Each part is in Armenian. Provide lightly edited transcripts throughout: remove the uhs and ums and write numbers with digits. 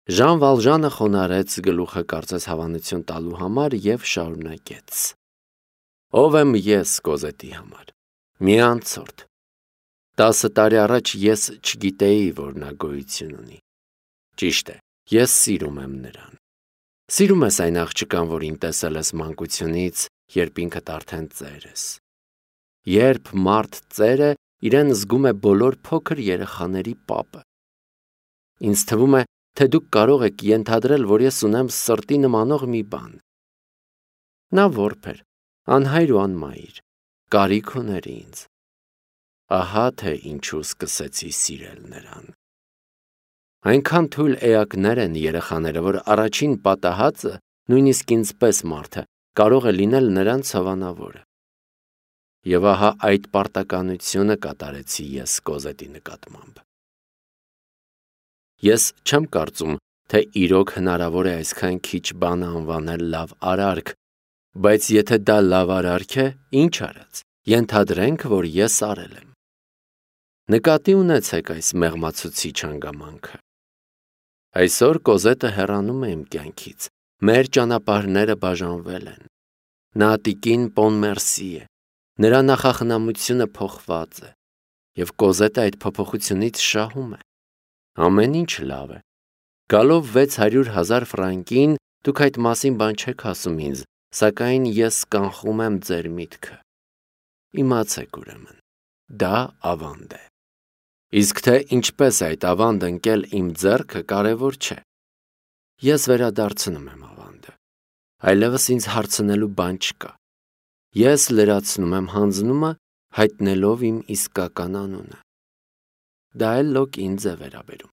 Ժան Վալժանը խոնարհեց գլուխը կարծես հավանություն տալու համար և շարունակեց. Ով եմ ես Կոզետի համար։ Մի անցորդ։ 10 տարի առաջ ես չգիտեի, որ նա գոյություն ունի։ Ճիշտ է, ես սիրում եմ նրան։ Սիրում ես այն աղջկան, որին տեսել ես մանկությունից, երբ ինքդ արդեն ծեր ես։ Երբ մարդ ծեր է, իրեն զգում է բոլոր փոքր երեխաների պապը։ Ինձ թվում է, թե դուք կարող եք ենթադրել, որ ես ունեմ սրտի նմանող մի բան։ Նա որբ էր, անհայր ու անմայր, կարիք ուներ ինձ։ Ահա թե ինչու սկսեցի սիրել նրան։ Այնքան թույլ էակներ են երեխաները, որ առաջին պատահածը, նույնիսկ ինձպես մարդը, կարող է լինել նրանց հավանավորը։ Եվ ահա այդ պարտականությունը կատարեցի ես Կոզետի նկատմամբ։ Ես չեմ կարծում, թե իրոք հնարավոր է այսքան քիչ բան անվանել լավ արարք, բայց եթե դա լավ արարք է, ինչ արած, ենթադրենք, որ ես արել եմ։ Նկատի ունեցեք այս մեղմացուցիչ հանգամանքը։ Այսօր Կոզետը հեռանում է իմ կյանքից, մեր ճանապարհները բաժանվել են։ Նա տիկին Պոնմերսի է, նրա նախախնամությունը փոխված է, և Կոզետը այդ փոփոխությունից շահում է։ Ամեն ինչ լավ է։ Գալով 600,000 ֆրանկին, դուք այդ մասին բան չեք ասում ինձ, սակայն ես կանխում եմ ձեր միտքը։ Իմացեք ուրեմն, դա ավանդ է։ Իսկ թե ինչպես այդ ավանդը ընկել իմ ձեռքը կարևոր չէ։ Ես վերադարձնում եմ ավանդը։ Այլևս ինձ հարցնելու բան չկա։ Ես լրացնում եմ հանձնումը, հայտնելով իմ իսկական անունը։ Դա էլ լոկ ինձ է վերաբերում։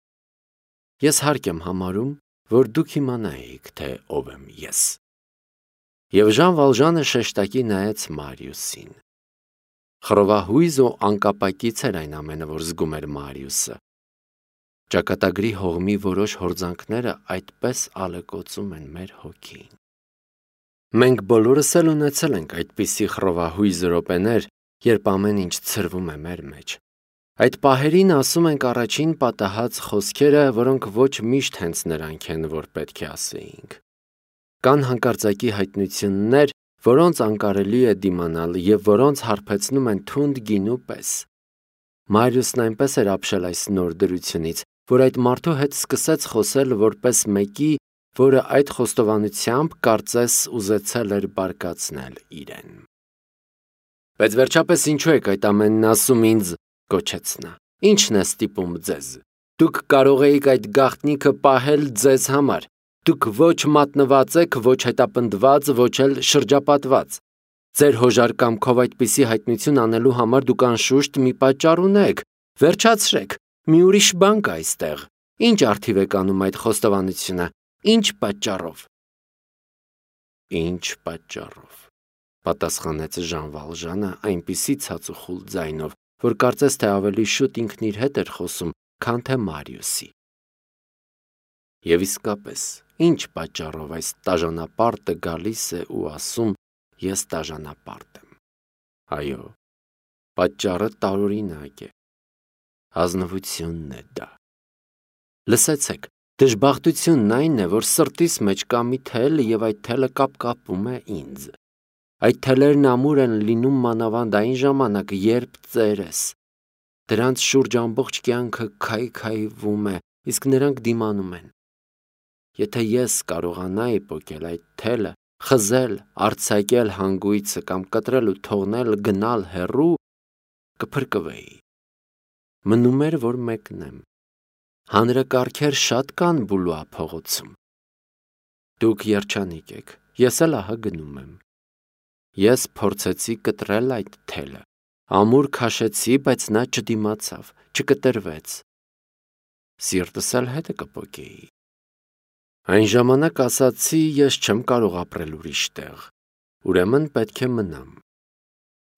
Ես հարկ եմ համարում, որ դուք իմանայիք, թե ով եմ ես։ Եվ Ժան Վալժանը շեշտակի նայեց Մարիուսին։ Խռովահույզ ու անկապակից էր այն ամենը, որ զգում էր Մարիուսը։ Ճակատագրի հողմի որոշ հորձանքները այդպես ալեկոծում են մեր հոգին։ Մենք բոլորս էլ ունեցել ենք այդպիսի խռովահույզ րոպեներ, երբ ամեն ինչ ցրվում է մեր մեջ։ Այդ պահերին ասում ենք առաջին պատահած խոսքերը, որոնք ոչ միշտ հենց նրանք են, որ պետք է ասեինք։ Կան հանկարծակի հայտնություններ, որոնց անկարելի է դիմանալ և որոնց հարբեցնում են թունդ գինու պես։ Մարիուսն այնպես էր ապշել այս նոր դրությունից, որ այդ մարդու հետ սկսեց խոսել որպես մեկի, որը այդ խոստովանությամբ կարծես ուզեցել էր բարկացնել իրեն։ Բայց վերջապես ինչու եք այդ ամենն ասում ինձ, գոչեց նա։ Ինչն է ստիպում ձեզ։ Դուք կարող էիք այդ գաղտնիքը պահել ձեզ համար։ Դուք ոչ մատնված եք, ոչ հետապնդված, ոչ էլ շրջապատված։ Ձեր հոժար կամքով այդպիսի հայտնություն անելու համար դուք անշուշտ մի պատճառ ունեք։ Վերջացրեք, մի ուրիշ բան կա այստեղ։ Ինչ արդիվ եք անում այդ խոստովանությունը։ Ինչ պատճառով։ Ինչ պատճառով, պատասխանեց Ժան Վալժանը այնպիսի ցածուխուլ ձայնով, որ կարծես թե ավելի շուտ ինքն իր հետ էր խոսում, քան թե Մարիուսի։ Եվ իսկապես, ինչ պատճառով այս տաժանապարտը գալիս է ու ասում, ես տաժանապարտ եմ։ Այո, պատճառը տարօրինակ է։ Ազնվությունն է դա։ Լսեցեք, դժբախտությունն այն է, որ սրտիս մեջ կա մի թել և այդ թելը կապկապում է ինձ։ Այդ թելերն ամուր են լինում մանավանդ այն ժամանակ, երբ ծեր ես։ Դրանց շուրջ ամբողջ կյանքը քայքայվում է, իսկ նրանք դիմանում են։ Եթե ես կարողանայի պոկել այդ թելը, խզել, արձակել հանգույցը կամ կտրել ու թողնել գնալ հեռու, կփրկվեի։ Մնում էր, որ մեկնեմ։ Հանրակարգեր շատ կան Բուլուա փողոցում։ Դուք երջանիկ եք, ես էլ ահա գնում եմ։ Ես փորձեցի կտրել այդ թելը։ Ամուր քաշեցի, բայց նա չդիմացավ, չկտրվեց։ Սիրտս էլ հետը կպոկեի։ Այն ժամանակ ասացի, ես չեմ կարող ապրել ուրիշ տեղ, ուրեմն պետք է մնամ։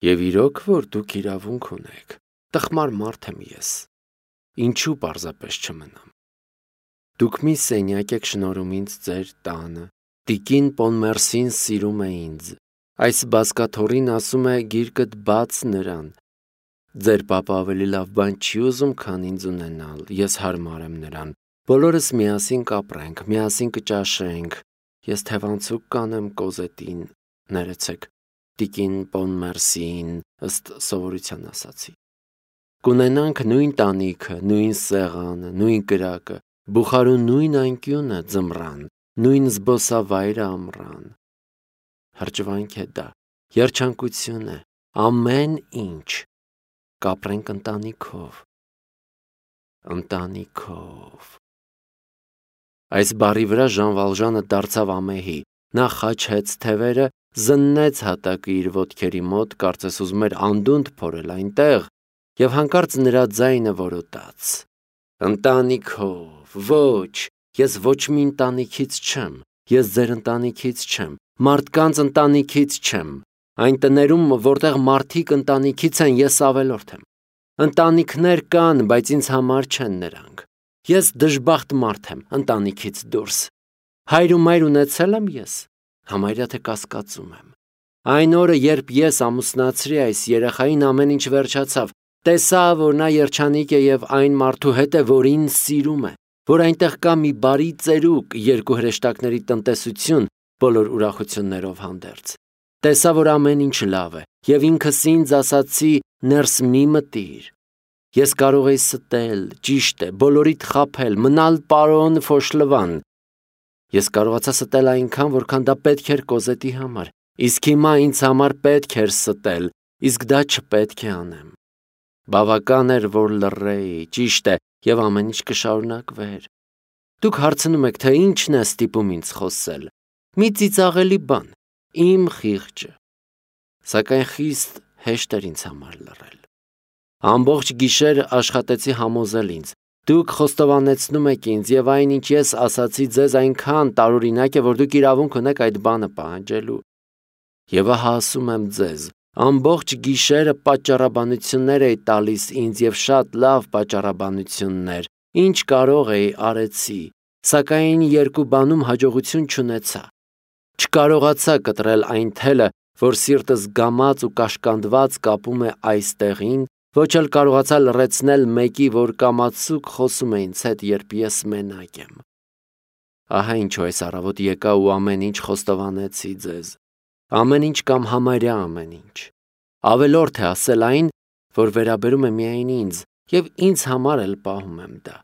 Եվ իրոք, որ դուք իրավունք ունեք, տխմար մարդ եմ ես։ Ինչու պարզապես չմնամ։ Դուք մի սենյակ եք շնորհում ինձ ձեր տանը, տիկին Պոնմերսին սիրում է ինձ, այս բազկաթոռին ասում է գիրկդ բաց նրան։ Ձեր պապը ավելի լավ բան չի ուզում, քան ինձ ունենալ, ես հարմար եմ նրան, Բոլորս միասին կապրենք, միասին կճաշենք, ես թևանցուկ կանեմ Կոզետին, ներեցեք, տիկին Պոնմերսիին, ըստ սովորության ասացի։ Կունենանք նույն տանիքը, նույն սեղանը, նույն կրակը, բուխարու նույն անկյունը ձմռան, նույն զբոսավայրը ամռան։ Հրճվանք է դա, երջանկություն է, ամեն ինչ, կապրենք ընտանիքով։ Այս բառի վրա Ժան Վալժանը դարձավ ամեհի, նա խաչեց թևերը, զննեց հատակը իր ոտքերի մոտ, կարծես ուզում էր անդունդ փորել այնտեղ, և հանկարծ նրա ձայնը որոտաց. Ընտանիքով, ոչ, ես ոչ մի ընտանիքից չեմ, ես ձեր ընտանիքից չեմ, մարդկանց ընտանիքից չեմ, այն տներում, որտեղ մարդիկ ընտանիքից են, ես ավելորդ եմ, ընտանիքներ կան, բայց ինձ համար չեն նրանք, ես դժբախտ մարդ եմ, ընտանիքից դուրս, հայր ու մայր ունեցել եմ ես, համարյա թե կասկածում եմ, այն օրը, երբ ես ամուսնացրի այս երեխային ամեն ինչ վերջացավ, տեսա, որ նա երջանիկ է և այն մարդու հետ է, որին սիրում է, որ այնտեղ կա մի բարի ծերուկ, երկու հրեշտակների տնտեսություն, բոլոր ուրախություններով հանդերձ, տեսա, որ ամեն ինչ լավ է, և ինքս ինձ ասացի, ներս մի մտիր, ես կարող էի ստել, ճիշտ է, բոլորիդ խաբել, մնալ պարոն Ֆոշլվան, ես կարողացա ստել այնքան, որքան դա պետք էր Կոզետի համար, իսկ հիմա ինձ համար պետք էր ստել, իսկ դա չպետք է անեմ, բավական էր, որ լռեի, ճիշտ է, և ամեն ինչ կշարունակվեր, դուք հարցնում եք, թե ինչն է ստիպում ինձ խոսել, մի ծիծաղելի բան, իմ խիղճը, սակայն խիստ հեշտ էր ինձ համար լռել, ամբողջ գիշեր աշխատեցի համոզել ինձ, դուք խոստովանեցնում եք ինձ և այն ինչ ես ասացի ձեզ այնքան տարօրինակ է, որ դուք իրավունք ունեք այդ բանը պահանջելու, և ահա ասում եմ ձեզ, ամբողջ գիշերը պատճառաբանություններ էի տալիս ինձ և շատ լավ պատճառաբանություններ, ինչ կարող էի արեցի, սակայն երկու բանում հաջողություն չունեցա, չկարողացա կտրել այն թելը, որ սիրտս գամած ու կաշկանդված կապում է այս տեղին, ոչ էլ կարողացա լռեցնել մեկի, որ կամացուկ խոսում է ինձ հետ, երբ ես մենակ եմ։ Ահա ինչու այս առավոտ եկա ու ամեն ինչ խոստովանեցի ձեզ, ամեն ինչ կամ համարյա ամեն ինչ, ավելորդ է ասել այն, որ վերաբերում է միայն ինձ, և ինձ համար էլ պահում եմ դա,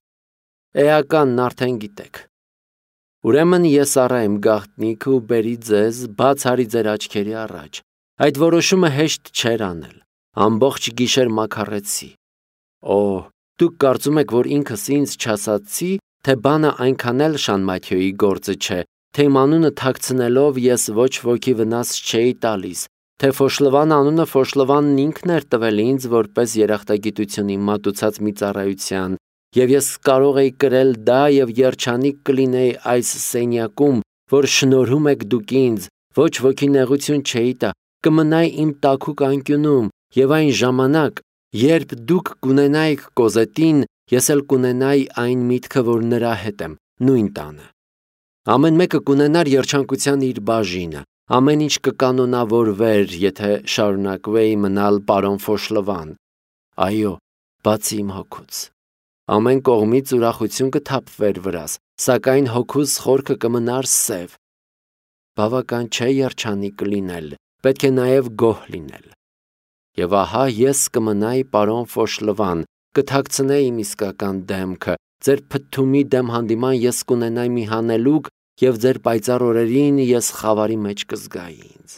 էականն արդեն գիտեք, ուրեմն ես առա եմ գաղտնիքը ու բերի ձեզ, բաց արի ձեր աչքերի առաջ, այդ որոշումը հեշտ չէր անել, ամբողջ գիշեր մաքարեցի, դուք կարծում եք, որ ինքս ինձ չասացի, թե բանը այնքան էլ Շան Մաթյոյի գործը չէ, թե իմ անունը թաքցնելով ես ոչ ոքի վնաս չէի տալիս, թե Ֆոշլվան անունը Ֆոշլվանն ինքն էր տվել ինձ որպես երախտագիտություն իմ մատուցած մի ծառայության, և ես կարող էի կրել դա և երջանիկ կլինեի այս սենյակում, որ շնորհում եք դուք ինձ, ոչ ոքի նեղություն չէի տա, կմնայի իմ տաքուկ անկյունում, և այն ժամանակ, երբ դուք կունենայիք Կոզետին, ես էլ կունենայի այն միտքը, որ նրա հետ եմ, նույն տանը, ամեն մեկը կունենար երջանկության իր բաժինը, ամեն ինչ կկանոնավորվեր, եթե շարունակվեի մնալ պարոն Ֆոշլվան, այո, բացի իմ հոգուց, ամեն կողմից ուրախություն կթափվեր վրաս, սակայն հոգուս խորքը կմնար սև, բավական չէ երջանիկ լինել, պետք է նաև գոհ լինել, և ահա ես կմնայի պարոն Ֆոշլվան, կթաքցնեի իմ իսկական դեմքը, ձեր փթթումի դեմ հանդիման ես կունենայի մի հանելուկ և ձեր պայծառ օրերին ես խավարի մեջ կզգայի ինձ,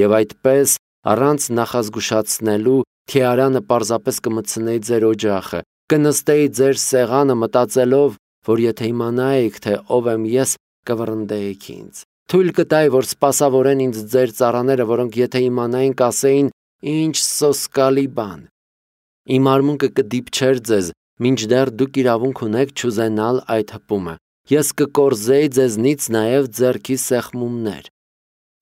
և այդպես առանց նախազգուշացնելու թիարանը պարզապես կմտցնեի ձեր օջախը, կնստեի ձեր սեղանը մտածելով, որ եթե իմանայիք, թե ով եմ ես, կվռնդեիք ինձ, թույլ կտայի, որ սպասավորեն ինձ ձեր ծառաները, որոնք եթե իմանային կասեին, ինչ սոսկալի բան, իմ արմունկը կդիպչեր ձեզ, մինչդեռ դուք իրավունք ունեք չուզենալ այդ հպումը, ես կկորզեի ձեզնից նաև ձեռքի սեղմումներ,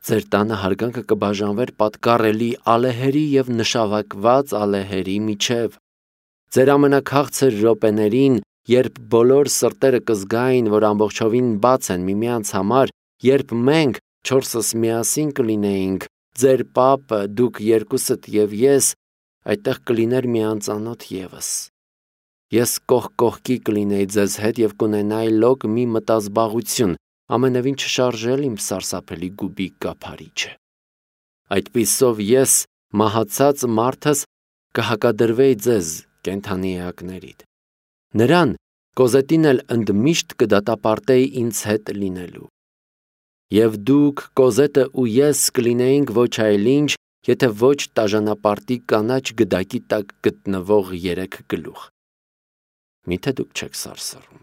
ձեր տանը հարգանքը կբաժանվեր պատկառելի ալեհերի և նշավակված ալեհերի միջև, ձեր ամենաքաղցր րոպեներին, երբ բոլոր սրտերը կզգային, որ ամբողջովին բաց են միմյանց համար, երբ մենք չորսս միասին կլինեինք, ձեր պապը, դուք երկուսդ և ես, այդտեղ կլիներ մի անծանոթ ևս, Ես կողքի կլինեի ձեզ հետ և կունենայի լոկ մի մտազբաղություն, ամենևին չշարժել իմ սարսափելի գուբիկ կափարիչը։ Այդպիսով ես, մահացած մարդս, կհակադրվեի ձեզ կենդանի էակներիդ։ Նրան Կոզետին էլ ընդմիշտ կդատապարտեի ինձ հետ լինելու։ Եվ դուք, Կոզետը ու ես կլինեինք ոչ այլ ինչ, եթե ոչ տաժանապարտի կանաչ գդակի տակ գտնվող 3 գլուխ։ Միթե դուք չեք սարսռում։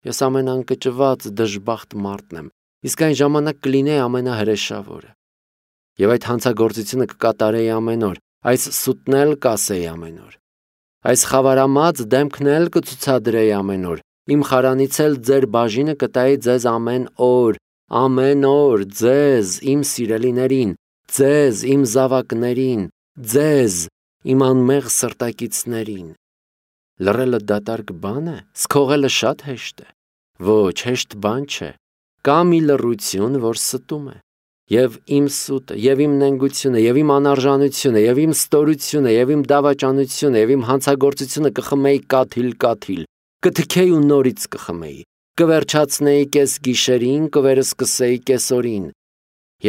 Ես ամենանկճված դժբախտ մարդն եմ, իսկ այն ժամանակ կլինեի ամենահրեշավորը։ Եվ այդ հանցագործությունը կկատարեի ամեն օր, այս սուտն էլ կասեի ամեն օր։ Այս խավարամած դեմքն էլ կցուցադրեի ամեն օր, իմ խարանից էլ ձեր բաժինը կտայի ձեզ ամեն օր, ձեզ, իմ սիրելիներին, ձեզ, իմ զավակներին, ձեզ, իմ անմեղ սրտակիցներին։ Լռելը դատարկ բան է, սքողելը շատ հեշտ է։ Ոչ, հեշտ բան չէ։ Կա մի լռություն, որ ստում է։ Եվ իմ սուտը, և իմ նենգությունը, և իմ անարժանությունը, և իմ ստորությունը, և իմ դավաճանությունը, և իմ հանցագործությունը կխմեի կաթիլ, կթքեի ու նորից կխմեի, կվերջացնեի կես գիշերին, կվերսկսեի կեսօրին,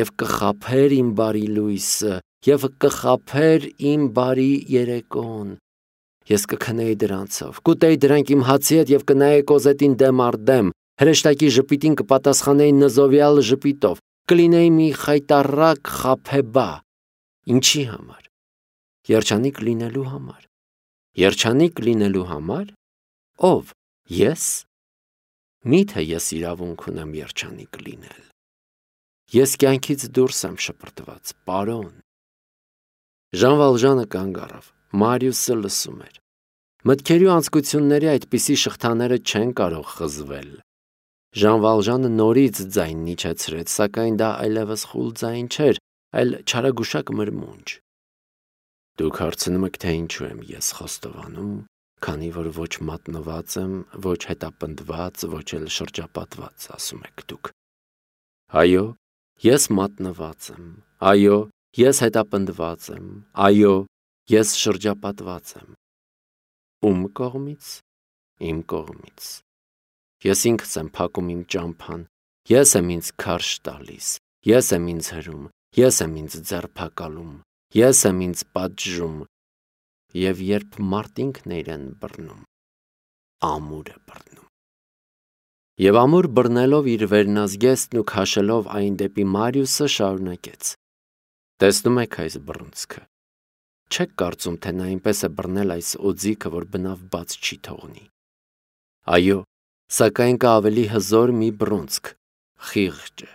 և կխաբեր իմ բարի լույսը, և կխաբեր իմ բարի երեկոն։ Ես կքնեի դրանցով, կուտեի դրանք իմ հացի հետ և կնայեի Կոզետին դեմ առ դեմ, հրեշտակի ժպիտին կպատասխանեի նզովյալ ժպիտով, կլինեի մի խայտառակ խաբեբա։ Ինչի համար։ Երջանիկ լինելու համար։ Երջանիկ լինելու համար։ Ով։ Ես։ Միթե ես իրավունք ունեմ երջանիկ լինել։ Ես կյանքից դուրս եմ շպրտված, պարոն։ Ժան Վալժանը կանգ առավ, Մարիուսը լսում էր։ Մտքերի ու անձկությունների այդպիսի շղթաները չեն կարող խզվել։ Ժան Վալժանը նորից ձայնն իջեցրեց, սակայն դա այլևս խուլ ձայն չէր, այլ չարագուշակ մրմունջ։ Դուք հարցնում եք, թե ինչու եմ ես խոստովանում, քանի որ ոչ մատնված եմ, ոչ հետապնդված, ոչ էլ շրջապատված, ասում եք դուք։ Այո, ես մատնված եմ, այո, ես հետապնդված եմ, այո, ես շրջապատված եմ։ Ում կողմից։ Իմ կողմից։ Ես ինքս եմ փակում իմ ճամփան, ես եմ ինձ քարշ տալիս, ես եմ ինձ հրում, ես եմ ինձ ձերբակալում, ես եմ ինձ պատժում, և երբ մարդինքն է իրեն բռնում, ամուր է բռնում։ Եվ ամուր բռնելով իր վերնազգեստն ու քաշելով այն դեպի Մարիուսը, շարունակեց. Տեսնում եք այս բռունցքը։ Չեք կարծում, թե նա այնպես է բռնել այս օձիքը, որ բնավ բաց չի թողնի։ Այո, սակայն կա ավելի հզոր մի բռունցք, խիղճը։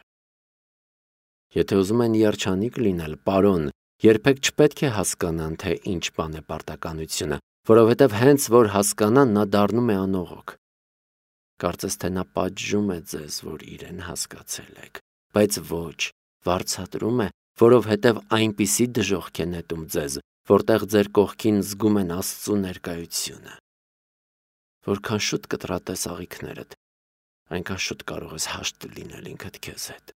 Եթե ուզում են երջանիկ լինել, պարոն, երբեք չպետք է հասկանան, թե ինչ բան է պարտականությունը, որովհետև հենց որ հասկանան, նա դառնում է անողոք։ Կարծես թե նա պատժում է ձեզ, որ իրեն հասկացել եք, բայց ոչ, վարձատրում է, որովհետև այնպիսի դժոխք է նետում ձեզ, որտեղ ձեր կողքին զգում են Աստծու ներկայությունը։ Որքան շուտ կտրատես աղիքներդ, այնքան շուտ կարող ես հաշտ լինել ինքդ քեզ հետ։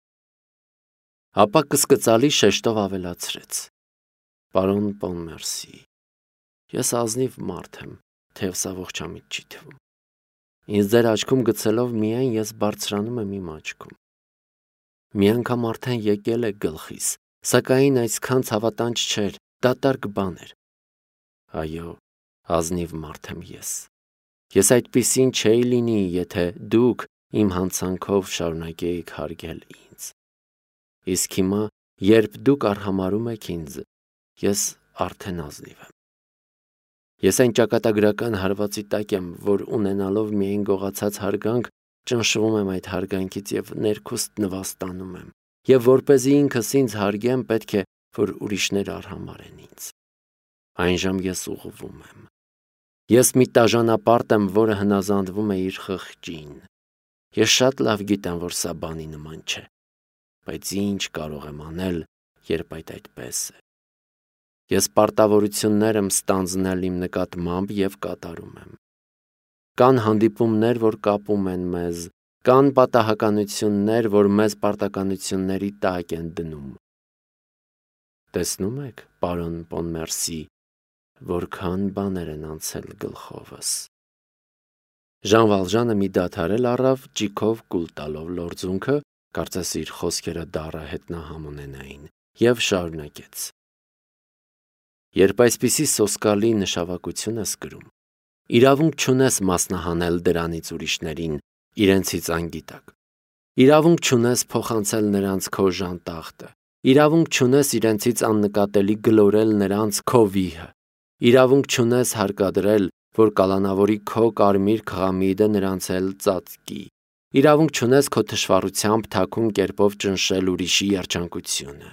Ապա կսկծալի շեշտով ավելացրեց. Պարոն Պոնմերսի, ես ազնիվ մարդ եմ, թեև սա ողջամիտ չի թվում։ Ինձ ձեր աչքում գցելով միայն ես բարձրանում եմ իմ աչքում։ Մի անգամ արդեն եկել է գլխիս, սակայն այսքան ցավատանջ չէր, դատարկ բան էր։ Այո, ազնիվ մարդ եմ ես։ Ես այդպիսին չէի լինի, եթե դուք իմ հանցանքով շարունակեիք հարգել ինձ։ Իսկ հիմա, երբ դուք արհամարհում եք ինձ, ես արդեն ազնիվ եմ։ Ես այն ճակատագրական հարվածի տակ եմ, որ ունենալով միայն գողացած հարգանք, ճնշվում եմ այդ հարգանքից և ներքուստ նվաստանում եմ, և որպեսզի ինքս ինձ հարգեմ, պետք է, որ ուրիշներ արհամարհեն ինձ։ Այնժամ ես ուղղվում եմ։ Ես մի տաժանապարտ եմ, որը հնազանդվում է իր խղճին։ Ես շատ լավ գիտեմ, որ սա բանի նման չէ, բայց ինչ կարող եմ անել, երբ այդպես է։ Ես պարտավորություններ եմ ստանձնել իմ նկատմամբ և կատարում եմ։ Կան հանդիպումներ, որ կապում են մեզ, կան պատահականություններ, որ մեզ պարտականությունների տակ են դնում։ Տեսնում եք, պարոն Պոնմերսի, որքան բաներ են անցել գլխովս։ Ժան Վալժանը մի դադարել առավ, ճիքով կուլ տալով լորձունքը, կարծես իր խոսքերը դառը հետնահամ ունենային, եւ շարունակեց. Երբ այսպիսի սոսկալի նշավակություն ես կրում, իրավունք չունես մասնահանել դրանից ուրիշներին, իրենցից անգիտակ։ Իրավունք չունես փոխանցել նրանց քո ժանտախտը։ Իրավունք չունես իրենցից աննկատելի գլորել նրանց քո վիհը։ Իրավունք չունես հարկադրել, որ կալանավորի քո կարմիր քղամիդը նրանց էլ ծածկի։ Իրավունք չունես քո թշվառությամբ թաքուն կերպով ճնշել ուրիշի երջանկությունը։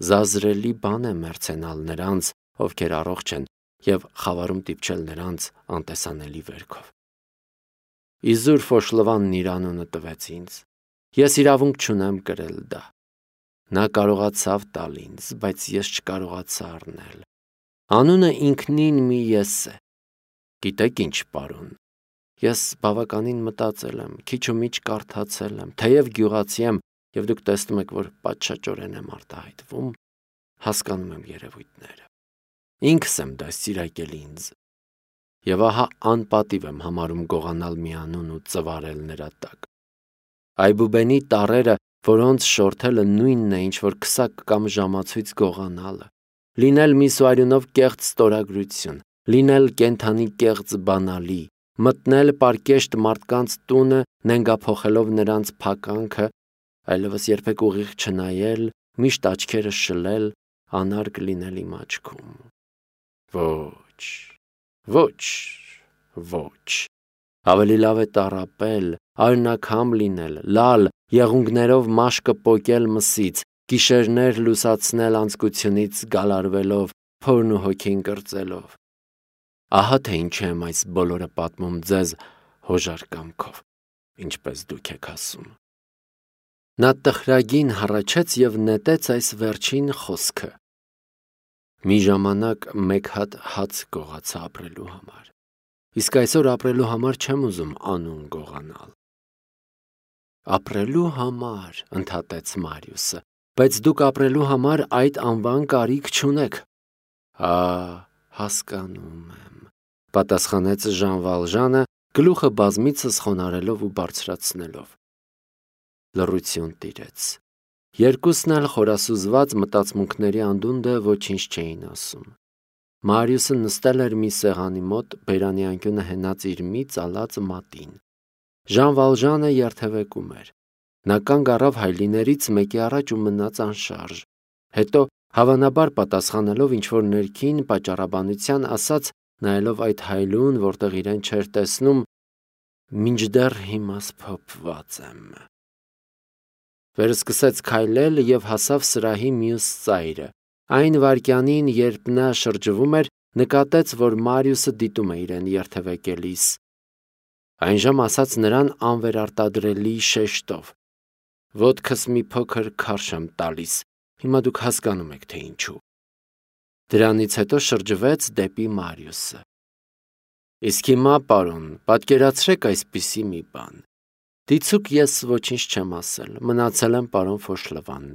Զազրելի բան է մերձենալ նրանց, ովքեր առողջ են, եւ խավարում դիպչել նրանց անտեսանելի վերքով։ Իզուր Ֆոշլվանն իր անունը տվեց ինձ։ Ես իրավունք չունեմ կրել դա։ Նա կարողացավ տալ ինձ, բայց ես չկարողացա առնել։ Անունը ինքնին մի ես է։ Գիտեք ինչ, պարոն, ես բավականին մտածել եմ, քիչ ու միջ կարդացել եմ, թեև գյուղացի եմ, եւ դուք տեսնում եք, որ պատշաճորեն եմ արտահայտվում, հասկանում եմ երևույթները։ Ինքս եմ դաստիարակել ինձ։ Եվ ահա անպատիվ եմ համարում գողանալ մի անուն ու ծվարել նրա տակ։ Այբուբենի տառերը, որոնց շորթելը նույնն է, ինչ որ քսակ կամ ժամացույց գողանալը, լինել միսուարյունով կեղծ ստորագրություն, լինել կենթանի կեղծ բանալի, մտնել պարկեշտ մարդկանց տունը, նենգափոխելով նրանց փականքը, այլևս երբեք ուղիղ չնայել, միշտ աչքերը շլել, անարգ լինել իմ աչքում։ Ոչ։ Ավելի լավ է տառապել, արյունակամ լինել, լալ, եղունգներով մաշկը պոկել մսից, գիշերներ լուսացնել անձկությունից գալարվելով, փորն ու հոգին կրծելով։ Ահա թե ինչու եմ այս բոլորը պատմում ձեզ հոժար կամքով, ինչպես դուք եք ասում։ Նա տխրագին հառաչեց եւ նետեց այս վերջին խոսքը. մի ժամանակ մեկ հատ հաց գողացա ապրելու համար, իսկ այսօր ապրելու համար չեմ ուզում անուն գողանալ։ Ապրելու համար, ընդհատեց Մարիուսը, բայց դուք ապրելու համար այդ անվան կարիք չունեք։ Հասկանում եմ, պատասխանեց Ժան Վալժանը, գլուխը բազմիցս խոնարհելով ու բարձրացնելով։ Լռություն տիրեց։ Երկուսն էլ խորասուզված մտածմունքների անդունդը ոչինչ չէին ասում։ Մարիուսը նստել էր մի սեղանի մոտ, բերանի անկյունը հենած իր մի ծալած մատին։ Ժան Վալժանը երթևեկում էր։ Նա կանգ առավ հայլիներից մեկի առաջ ու մնաց անշարժ։ Հետո, հավանաբար պատասխանելով ինչ-որ ներքին պատճառաբանության, ասաց, նայելով այդ հայլուն, որտեղ իրեն չէր տեսնում. մինչդեռ հիմա սփոփված եմ։ Վերսկսեց քայլել եւ հասավ սրահի մյուս ծայրը։ Այն վայրկյանին, երբ նա շրջվում էր, նկատեց, որ Մարիուսը դիտում է իրեն երթևեկելիս։ Այնժամ ասաց նրան անվերարտադրելի շեշտով. Ոտքս մի փոքր քարշ եմ տալիս, հիմա դուք հասկանում եք, թե ինչու։ Դրանից հետո շրջվեց դեպի Մարիուսը։ Իսկ հիմա, պարոն, պատկերացրեք այսպիսի մի բան։ Դիցուք ես ոչինչ չեմ ասել, մնացել եմ պարոն Ֆոշլվան։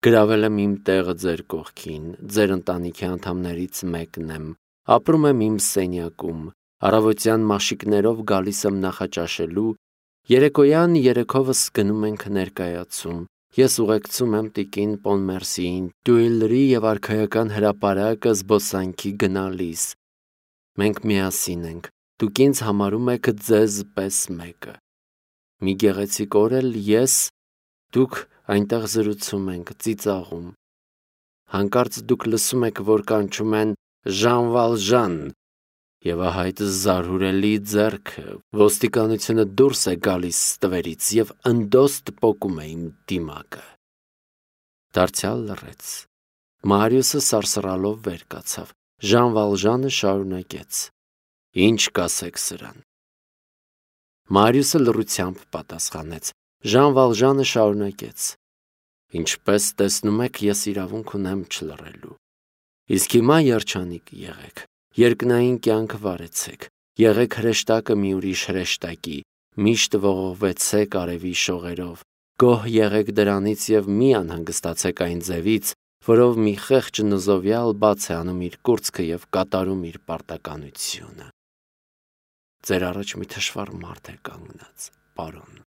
Գրավել եմ իմ տեղը ձեր կողքին, ձեր ընտանիքի անդամներից մեկն եմ, ապրում եմ իմ սենյակում, առավոտյան մաշիկներով գալիս եմ նախաճաշելու, երեկոյան երեքովս գնում ենք ներկայացում, ես ուղեկցում եմ տիկին Պոնմերսիին, Տյուիլրի եւ արքայական հրապարակը զբոսանքի գնալիս։ Մենք միասին ենք, դուք ինձ համարում եք ձեզ պես մեկը։ Մի գեղեցիկ օր էլ ես, դուք այնտեղ զրուցում ենք, ծիծաղում։ Հանկարծ դուք լսում եք, որ կանչում են Ժան Վալժան, եւ ահա այդ զարհուրելի ձեռքը, ոստիկանությունը դուրս է գալիս ստվերից եւ ընդոստ պոկում է իմ դիմակը։ Դարձյալ լռեց։ Մարիուսը սարսռալով վեր կացավ։ Ժան Վալժանը շարունակեց. Ինչ կասեք սրան։ Մարիուսը լռությամբ պատասխանեց։ Ժան Վալժանը շարունակեց. Ինչպես տեսնում եք, ես իրավունք ունեմ չլռելու։ Իսկ հիմա երջանիկ եղեք, երկնային կյանք վարեցեք, եղեք հրեշտակը մի ուրիշ հրեշտակի, միշտ ողողվեցեք արևի շողերով, գոհ եղեք դրանից եւ մի անհանգստացեք այն ձևից, որով մի խեղճ նզովյալ բաց է անում իր կուրծքը և կատարում իր պարտականությունը։ Ձեր առաջ մի թշվառ մարդ է կանգնած, պարոն։